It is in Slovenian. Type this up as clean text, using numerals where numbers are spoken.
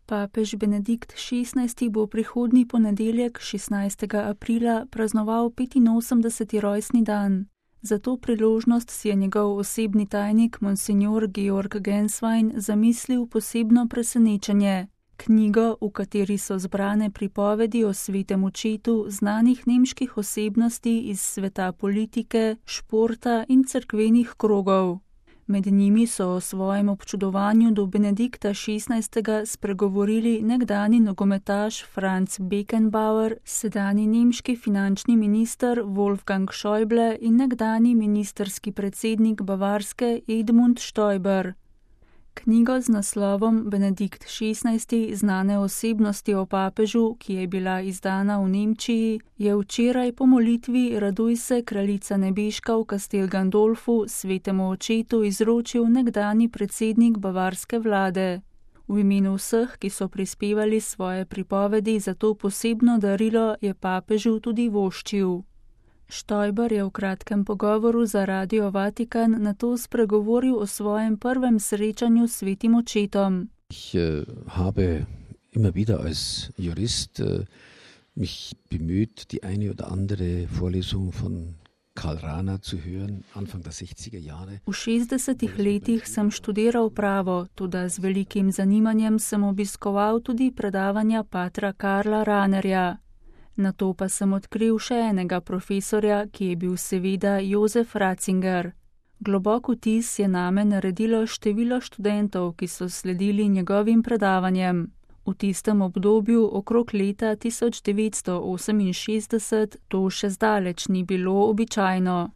Papež Benedikt XVI. Bo prihodnji ponedeljek, 16. aprila, praznoval 85. rojstni dan. Za to priložnost si je njegov osebni tajnik monsignor Georg Genswein zamislil posebno presenečenje. Knjigo, v kateri so zbrane pripovedi o svetem očetu znanih nemških osebnosti iz sveta politike, športa in cerkvenih krogov. Med njimi so o svojem občudovanju do Benedikta XVI. Spregovorili nekdani nogometaš Franz Beckenbauer, sedanji nemški finančni minister Wolfgang Schäuble in nekdani ministerski predsednik Bavarske Edmund Stoiber. Knjigo z naslovom Benedikt XVI. Znane osebnosti o papežu, ki je bila izdana v Nemčiji, je včeraj po molitvi Raduj se, kraljica nebeška v Castel Gandolfu svetemu očetu izročil nekdani predsednik bavarske vlade. V imenu vseh, ki so prispevali svoje pripovedi za to posebno darilo, je papežu tudi voščil. Stoiber je v kratkem pogovoru za Radio Vatikan nato spregovoril o svojem prvem srečanju s svetim očetom. Ich habe immer wieder als Jurist mich bemüht, die eine oder andere Vorlesung von Karl Rahner zu hören, Anfang der 60er Jahre. V 60. letih sem študiral pravo, tudi z velikim zanimanjem sem obiskoval tudi predavanja patra Karla Rahnerja. Nato pa sem odkril še enega profesorja, ki je bil seveda Josef Ratzinger. Globok vtis je name naredilo število študentov, ki so sledili njegovim predavanjem. V tistem obdobju okrog leta 1968 to še zdaleč ni bilo običajno.